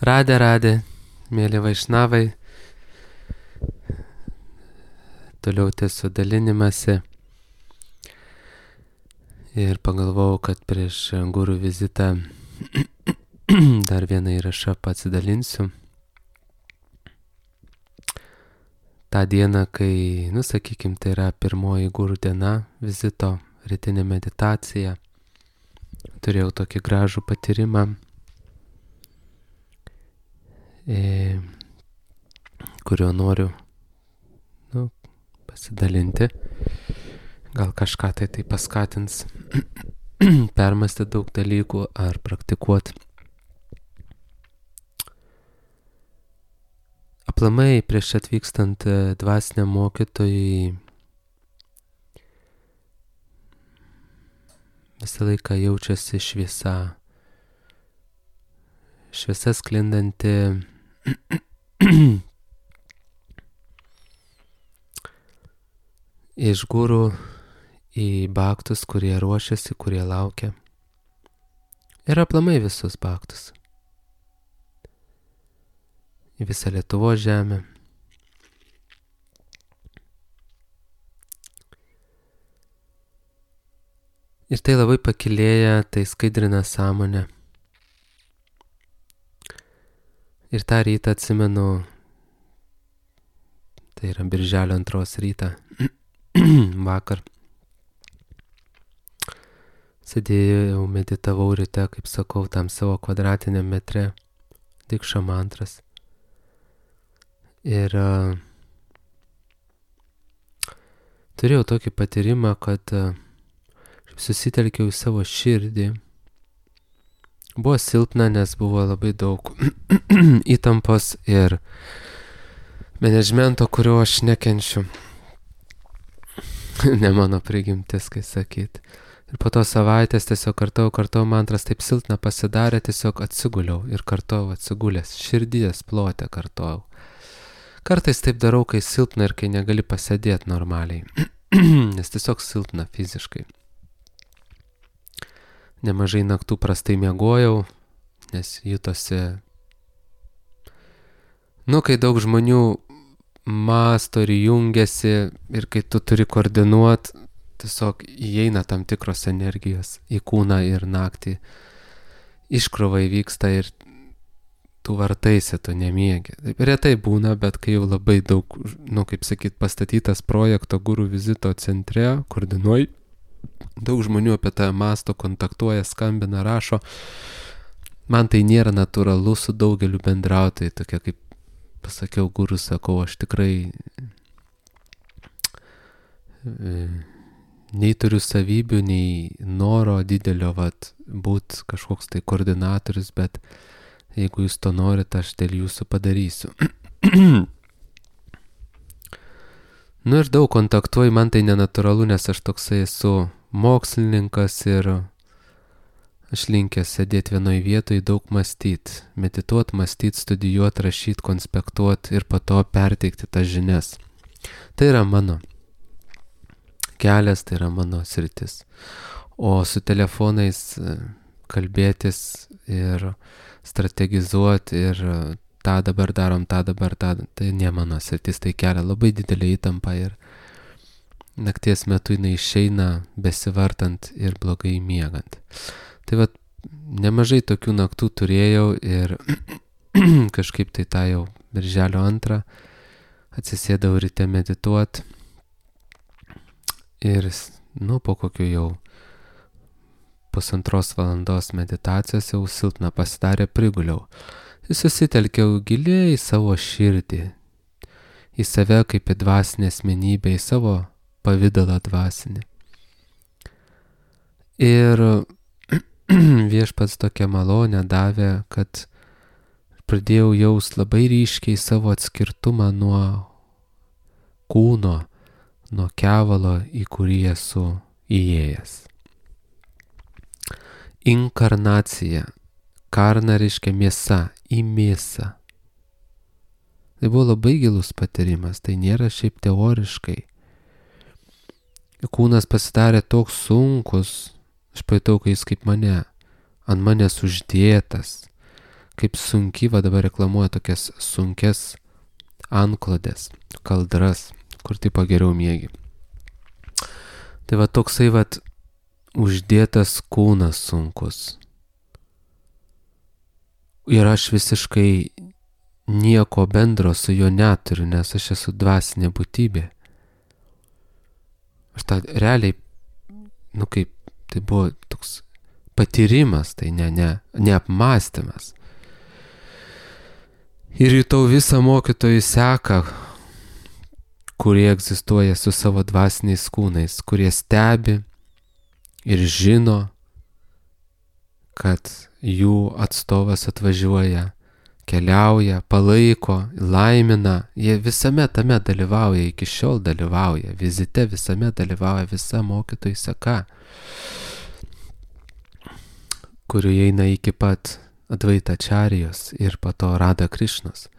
Radė, mėly vaišnavai, toliau tęsiu dalinimąsi ir pagalvojau, kad prieš gurų vizitą dar vieną įrašą pasidalinsiu. Ta diena, kai, sakykim, tai yra pirmoji gurų diena vizito, rytinė meditacija, turėjau tokį gražų patyrimą, kurio noriu pasidalinti. Gal kažką tai paskatins permąstyti daug dalykų ar praktikuoti. Aplamai prieš atvykstant dvasiniam mokytojui visą laiką jaučiasi šviesa sklindanti iš gurų į bhaktus, kurie ruošiasi, kurie laukia. Ir aplamai visus bhaktus. Į visą Lietuvos žemę. Ir tai labai pakilėja, tai skaidrina sąmonę. Ir tą rytą atsimenu, tai yra birželio 2 rytą, vakar. Sėdėjau, meditavau ryte, kaip sakau, tam savo kvadratiniam metre, dikša mantras. Ir turėjau tokį patyrimą, kad susitelkiau į savo širdį. Buvo silpna, nes buvo labai daug įtampos ir menedžmento, kurio aš nekenčiu. Ne mano prigimtis, kai sakyt. Ir po to savaitės tiesiog kartau, mantras taip silpna pasidarė, tiesiog atsiguliau ir kartau atsigulęs, širdies plote kartau. Kartais taip darau, kai silpna ir kai negali pasėdėti normaliai, nes tiesiog silpna fiziškai. Nemažai naktų prastai miegojau, nes jutosi, kai daug žmonių mąsto ir jungiasi ir kai tu turi koordinuoti, tiesiog įeina tam tikros energijos į kūną ir naktį. Iškrova įvyksta ir tu vartaisi, tu nemiegi. Taip retai būna, bet kai jau labai daug, pastatytas projekto gurų vizito centre, koordinuoji, daug žmonių apie tą mąsto, kontaktuoja, skambina, rašo. Man tai nėra natūralu su daugeliu bendrauti, tokia kaip pasakiau gurų, sakau, aš tikrai nei turiu savybių, nei noro didelio būt kažkoks tai koordinatorius, bet jeigu jūs to norit, aš dėl jūsų padarysiu. Ir daug kontaktuoju, man tai nenatūralu, nes aš toksai esu mokslininkas ir aš linkęs sėdėti vienoj vietoj, daug mąstyti, medituoti, mąstyti, studijuoti, rašyti, konspektuoti ir po to perteikti tas žinias. Tai yra mano kelias, tai yra mano sritis. O su telefonais kalbėtis ir strategizuoti ir tą dabar darom, tai ne mano sritis, tai kelia labai didelį įtampą ir nakties metu jinai išeina besivartant ir blogai miegant. Tai nemažai tokių naktų turėjau ir kažkaip tai tą jau birželio 2 atsisėdau ryte medituoti ir po kokių jau 1,5 valandos meditacijos jau silpna pasidarė, priguliau. Susitelkiau giliai į savo širdį, į save kaip į dvasinę asmenybę, į savo pavidalą dvasinį. Ir viešpats tokią malonę davė, kad pradėjau jaust labai ryškiai savo atskirtumą nuo kūno, nuo kevalo, į kurį esu įėjęs. Inkarnacija. Karna reiškia mėsa, į mėsą. Tai buvo labai gilus patyrimas, tai nėra šiaip teoriškai. Kūnas pasidarė toks sunkus, aš pajutau, kai jis kaip ant manęs uždėtas, kaip sunki, va dabar reklamuoja tokias sunkes antklodės, kaldras, kur tipo geriau miegi. Tai va toksai va uždėtas kūnas sunkus. Ir aš visiškai nieko bendro su juo neturiu, nes aš esu dvasinė būtybė. Aš tą realiai, kaip tai buvo toks patyrimas, tai ne apmąstymas. Ir jutau visą mokytojų seką, kurie egzistuoja su savo dvasiniais kūnais, kurie stebi ir žino, kad jų atstovas atvažiuoja, keliauja, palaiko, laimina, jie visame tame dalyvauja, iki šiol dalyvauja, vizite visame dalyvauja visa mokytojų seka, kurių eina iki pat Advaitačarijos ir po to Rada Krišnos.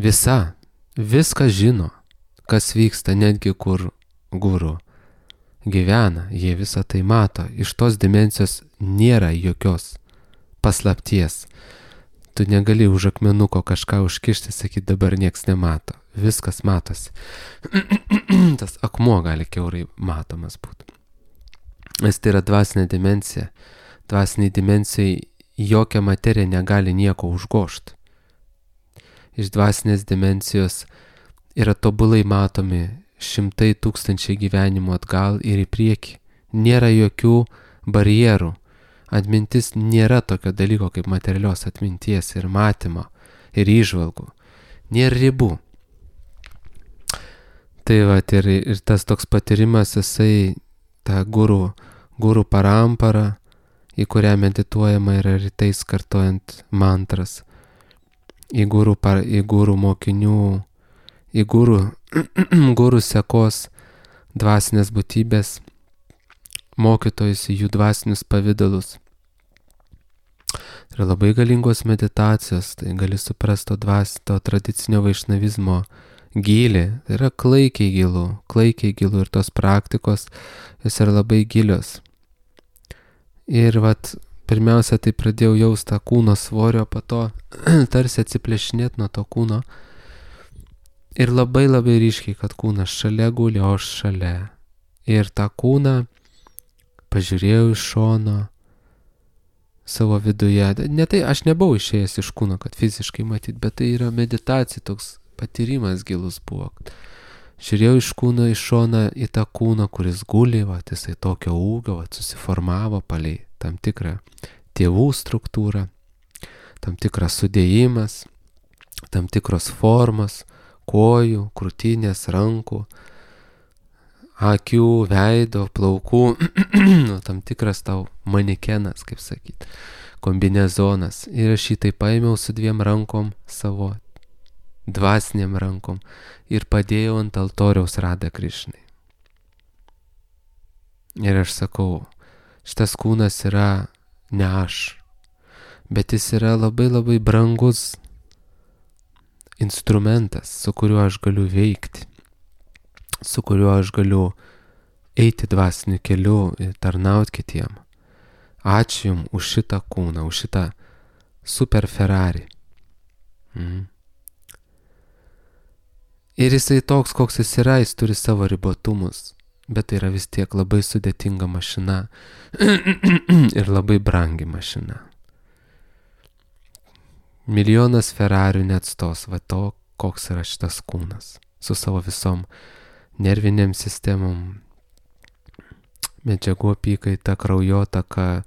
Viską žino, kas vyksta, netgi kur guru gyvena, jie visą tai mato. Iš tos dimensijos nėra jokios paslapties. Tu negali už akmenuko kažką užkišti, sakyti, dabar nieks nemato. Viskas matosi. Tas akmuo gali kiaurai matomas būti. Nes tai yra dvasinė dimensija. Dvasiniai dimensijai jokia materija negali nieko užgošti. Iš dvasinės dimensijos yra tobulai matomi 100,000 gyvenimų atgal ir į priekį. Nėra jokių barjerų. Atmintis nėra tokio dalyko kaip materialios atminties ir matymo ir įžvalgų. Nėra ribų. Tai va, ir tas toks patyrimas, jisai tą guru parampara, į kurią medituojama yra rytais kartojant mantras, į guru mokinių, į guru sekos dvasinės būtybės, mokytojus į jų dvasinius pavidalus. Tai yra labai galingos meditacijos, tai gali suprasti to tradicinio vaišnavizmo gylį. Tai yra klaikiai gilu ir tos praktikos, jos yra labai gilios. Ir pirmiausia, tai pradėjau jausti tą kūno svorio, po to tarsi atsiplėšinėti nuo to kūno. Ir labai ryškiai, kad kūnas šalia guli, o aš šalia. Ir tą kūną pažiūrėjau iš šono savo viduje. Ne tai, aš nebuvau išėjęs iš kūno, kad fiziškai matyt, bet tai yra meditacija, toks patyrimas gilus buvo. Žiūrėjau iš kūno iš šoną į tą kūną, kuris guli, jisai tokio ūgio, susiformavo palei tam tikrą tėvų struktūrą, tam tikras sudėjimas, tam tikros formos, kojų, krūtinės, rankų, akių, veido, plaukų, tam tikras tau manekenas, kaip sakyti, kombinezonas. Ir aš jį tai paėmiau su 2 rankom, savo dvasiniam rankom, ir padėjau ant altoriaus Rada Krišnai. Ir aš sakau, šitas kūnas yra ne aš, bet jis yra labai brangus instrumentas, su kuriuo aš galiu veikti, su kuriuo aš galiu eiti dvasiniu keliu ir tarnauti kitiem. Ačiū Jums už šitą kūną, už šitą super Ferrari. Ir jisai toks, koks jis yra, jis turi savo ribotumus, bet tai yra vis tiek labai sudėtinga mašina ir labai brangi mašina. Milijonas Ferrarių neatstos to, koks yra šitas kūnas, su savo visom nerviniam sistemom, medžiagų apykaita, kraujotaka,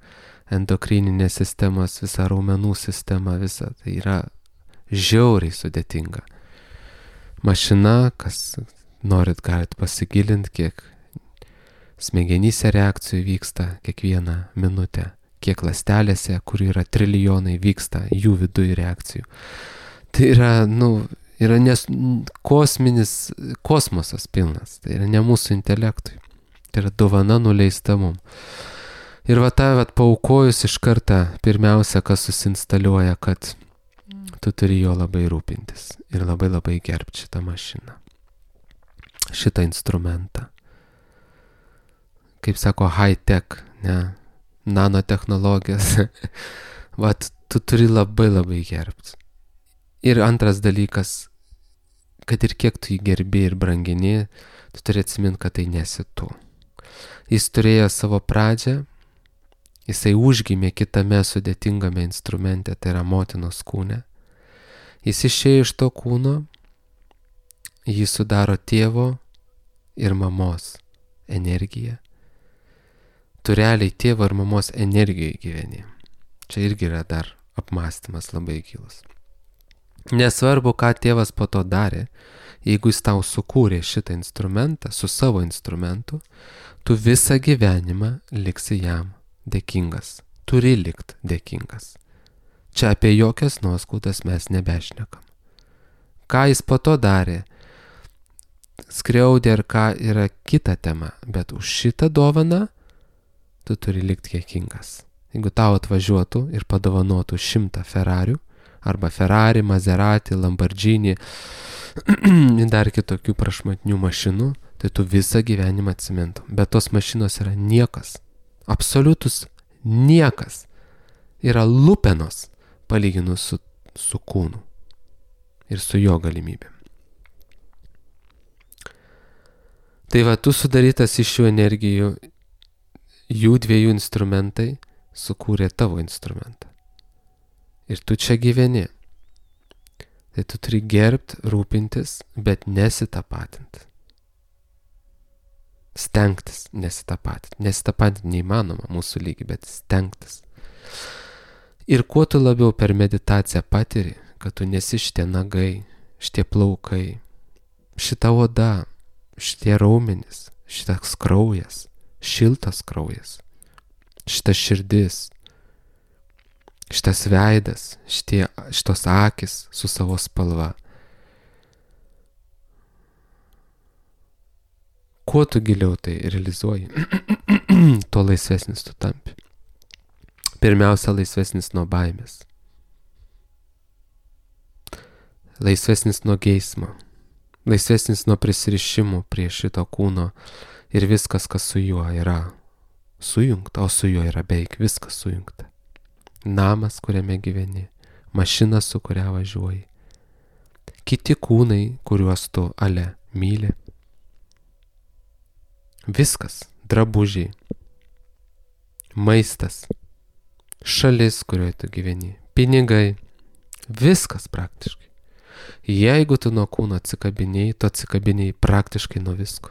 endokrininė sistemos, visa raumenų sistema, visa tai yra žiauriai sudėtinga. Mašina, kas norit, galit pasigilinti, kiek smegenyse reakcijų vyksta kiekvieną minutę, kiek ląstelėse, kur yra trilijonai, vyksta jų viduje reakcijų. Tai yra, yra kosminis kosmosas pilnas, tai yra ne mūsų intelektui, tai yra dovana nuleista mum. Ir paaukojus iš karto, pirmiausia, kas susinstaliuoja, kad tu turi jo labai rūpintis ir labai gerbti šitą mašiną, šitą instrumentą. Kaip sako, high tech, ne, nanotechnologijas. tu turi labai gerbti. Ir antras dalykas, kad ir kiek tu jį gerbi ir brangini, tu turi atsiminti, kad tai nesi tu. Jis turėjo savo pradžią, jisai užgimė kitame sudėtingame instrumente, tai yra motinos kūne. Jis išėjo iš to kūno, jį sudaro tėvo ir mamos energija. Tu realiai tėvo ir mamos energijoje gyveni. Čia irgi yra dar apmąstymas labai gilus. Nesvarbu, ką tėvas po to darė, jeigu jis tau sukūrė šitą instrumentą su savo instrumentu, tu visą gyvenimą liksi jam dėkingas. Turi likt dėkingas. Čia apie jokias nuoskaudas mes nebešnekam. Ką jis po to darė, skriaudė ar ką yra kita tema, bet už šitą dovaną tu turi likti dėkingas. Jeigu tau atvažiuotų ir padovanotų 100 Ferrarių, arba Ferrari, Maserati, Lamborghini, dar kitokių prašmatnių mašinų, tai tu visą gyvenimą atsimintum. Bet tos mašinos yra niekas, absoliutus niekas, yra lupenos palyginus su kūnu ir su jo galimybėm. Tai va, tu sudarytas iš šių energijų, jų dviejų instrumentai sukūrė tavo instrumentą. Ir tu čia gyveni. Tai tu turi gerbt, rūpintis, bet nesitapatinti. Stengtis nesitapatinti. Nesitapatinti neįmanoma mūsų lygi, bet stengtis. Ir kuo tu labiau per meditaciją patiri, kad tu nesi šitie nagai, šitie plaukai, šita oda, šitie raumenys, šitas kraujas, šiltas kraujas, šita širdis, šitas veidas, šitos akis su savo spalva. Kuo tu giliau tai realizuoji, tuo laisvesnis tu tampi. Pirmiausia, laisvesnis nuo baimės. Laisvesnis nuo geismo. Laisvesnis nuo prisirišimų prie šito kūno ir viskas, kas su juo yra sujungta, o su juo yra beveik viskas sujungta. Namas, kuriame gyveni, mašina, su kuria važiuoji, kiti kūnai, kuriuos tu myli. Viskas, drabužiai, maistas, šalis, kurioje tu gyveni, pinigai, viskas praktiškai. Jeigu tu nuo kūno atsikabinėjai, tu atsikabinėjai praktiškai nuo visko.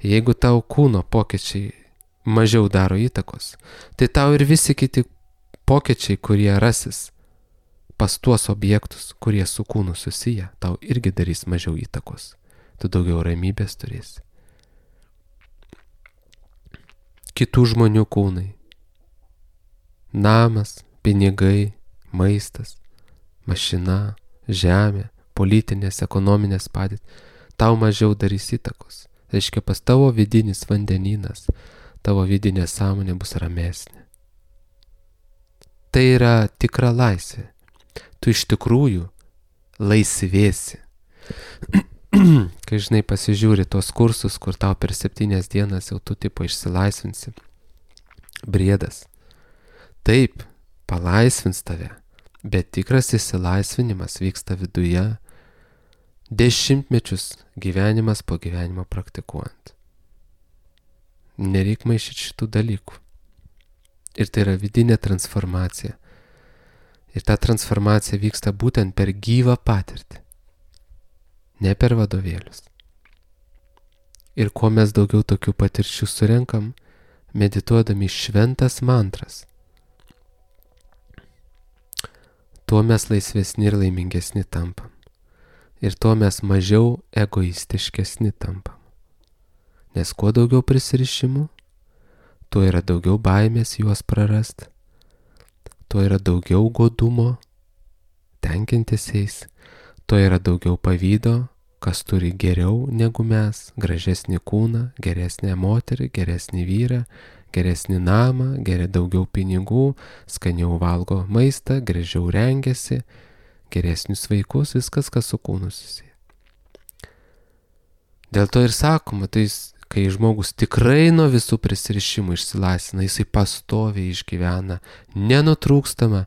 Jeigu tau kūno pokyčiai mažiau daro įtakos, tai tau ir visi kiti pokyčiai, kurie rasis pas tuos objektus, kurie su kūnu susiję, tau irgi darys mažiau įtakos. Tu daugiau ramybės turėsi. Kitų žmonių kūnai. Namas, pinigai, maistas, mašina, žemė, politinės, ekonominės padėtys, tau mažiau darys įtakos. Reiškia, pas tavo vidinis vandenynas, tavo vidinė sąmonė bus ramesnė. Tai yra tikra laisvė. Tu iš tikrųjų laisvėsi. Kai žinai pasižiūri tos kursus, kur tau per 7 dienas jau tu tipo išsilaisvinsi. Briedas. Taip, palaisvins tave, bet tikras išsilaisvinimas vyksta viduje, dešimtmečius gyvenimas po gyvenimo praktikuojant. Nereik maišyti šitų dalykų. Ir tai yra vidinė transformacija. Ir ta transformacija vyksta būtent per gyvą patirtį, ne per vadovėlius. Ir kuo mes daugiau tokių patirčių surenkam, medituodami šventas mantras, tuo mes laisvesni ir laimingesni tampam. Ir tuo mes mažiau egoistiškesni tampam. Nes kuo daugiau prisirišimų, tuo yra daugiau baimės juos prarast, tuo yra daugiau godumo, tenkintis jais, tuo yra daugiau pavydo, kas turi geriau negu mes, gražesnį kūną, geresnę moterį, geresnį vyrą, geresnį namą, daugiau pinigų, skaniau valgo maistą, gražiau rengiasi, geresnius vaikus, viskas, kas su kūnu susiję. Dėl to ir sakoma, tai kai žmogus tikrai nuo visų prisirišimų išsilaisvina, jisai pastoviai išgyvena nenutrūkstamą,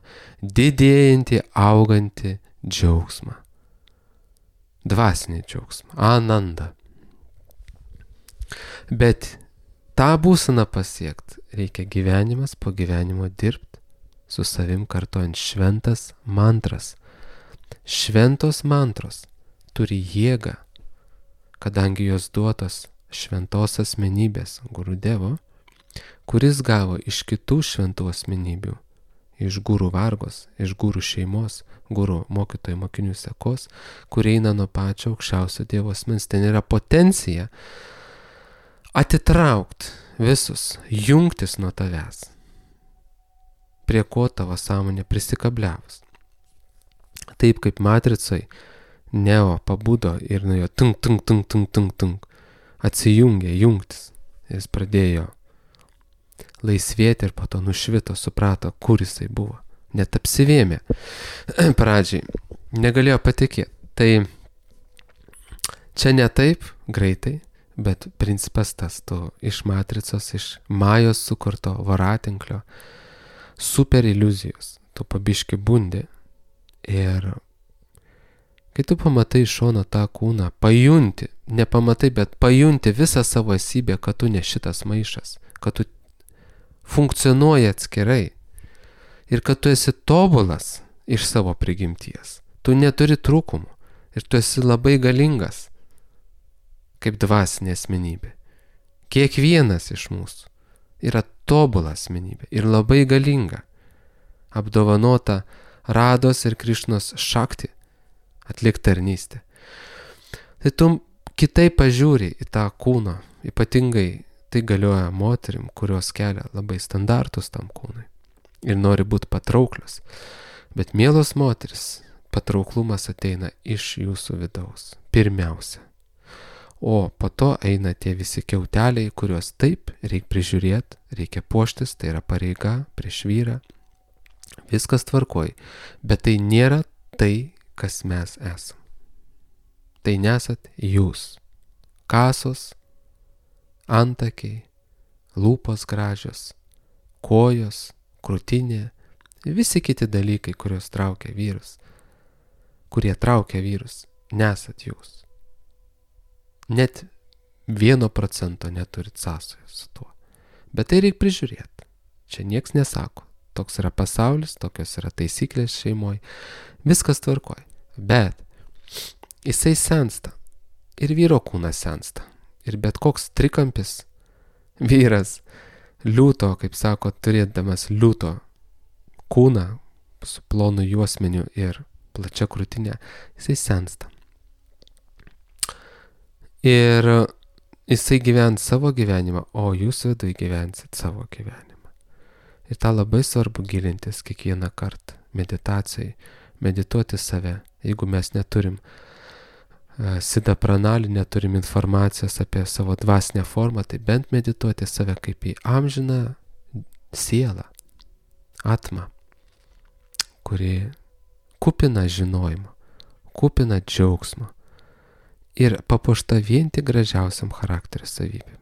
didėjantį, augantį džiaugsmą. Dvasinį džiaugsmą, ananda. Bet tą būseną pasiekti reikia gyvenimas po gyvenimo dirbti, su savim kartojant šventas mantras. Šventos mantros turi jėgą, kadangi jos duotos šventos asmenybės Gurudevo, kuris gavo iš kitų šventų asmenybių, iš gurų vargos, iš gurų šeimos, gurų mokytojų mokinių sekos, kurie eina nuo pačio aukščiausio Dievo asmens. Ten yra potencija atitraukti visus, jungtis nuo tavęs, prie ko tavo sąmonė prisikabliavus. Taip kaip matricoj Neo pabudo ir nuo jo tunk, atsijungė jungtis. Jis pradėjo laisvėti ir po to nušvito, suprato, kur jisai buvo. Net apsivėmė pradžiai, negalėjo patikėti. Tai čia ne taip greitai, bet principas tas, tu iš matricos, iš Majos sukurto voratinklio, super iliuzijos, tu pabiški bundi ir kai tu pamatai iš šono tą kūną, pajunti, nepamatai, bet pajunti visą savo esybę, kad tu ne šitas maišas, kad tu funkcionuoji atskirai ir kad tu esi tobulas iš savo prigimties. Tu neturi trūkumų ir tu esi labai galingas kaip dvasinė asmenybė. Kiekvienas iš mūsų yra tobula asmenybė ir labai galinga, apdovanota Rados ir Krišnos šakti atlikti tarnystę. Tai tu kitaip pažiūri į tą kūną, ypatingai tai galioja moterim, kurios kelia labai standartus tam kūnui ir nori būti patrauklios. Bet mielos moteris, patrauklumas ateina iš jūsų vidaus, pirmiausia. O po to eina tie visi kiauteliai, kuriuos taip reikia prižiūrėti, reikia puoštis, tai yra pareiga prieš vyrą. Viskas tvarkoj, bet tai nėra tai, kas mes esam. Tai nesat jūs. Kasos, antakiai, lūpos gražios, kojos, krūtinė, visi kiti dalykai, kurios traukia vyrus, kurie traukia vyrus, nesat jūs. Net 1% neturit sąsajos su tuo. Bet tai reikia prižiūrėti. Čia nieks nesako. Toks yra pasaulis, tokios yra taisyklės šeimoje. Viskas tvarkoj. Bet jisai sensta. Ir vyro kūnas sensta. Ir bet koks trikampis vyras liūto, kaip sako, turėdamas liūto kūną su plonu juosmeniu ir plačia krūtinė, jisai sensta. Ir jisai gyvens savo gyvenimą, o jūs viduje gyvensit savo gyvenimą. Ir tą labai svarbu gilintis kiekvieną kartą meditacijai, medituoti save. Jeigu mes neturim siddha pranali, neturim informacijos apie savo dvasinę formą, tai bent medituoti save kaip į amžiną sielą, atmą, kuri kupina žinojimo, kupina džiaugsmo ir papuošta vien tik gražiausiam charakterio savybėm.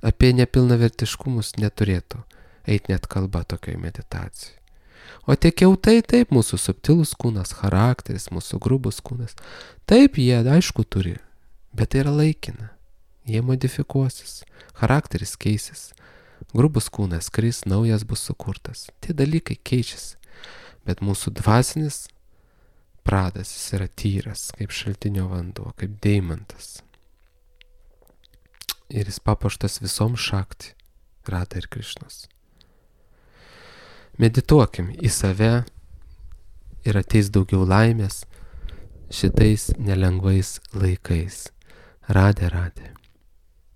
Apie nepilnavertiškumus neturėtų eit net kalba tokioj meditacijai. O tie kiautai, taip, mūsų subtilus kūnas, charakteris, mūsų grubus kūnas, taip, jie aišku turi, bet tai yra laikina. Jie modifikuosis, charakteris keisis, grubus kūnas kris, naujas bus sukurtas. Tie dalykai keičiasi, bet mūsų dvasinis pradas, jis yra tyras, kaip šaltinio vanduo, kaip deimantas. Ir jis papuoštas visom šakti, Rada ir Krišnos. Medituokim į save ir ateis daugiau laimės šitais nelengvais laikais. Radė.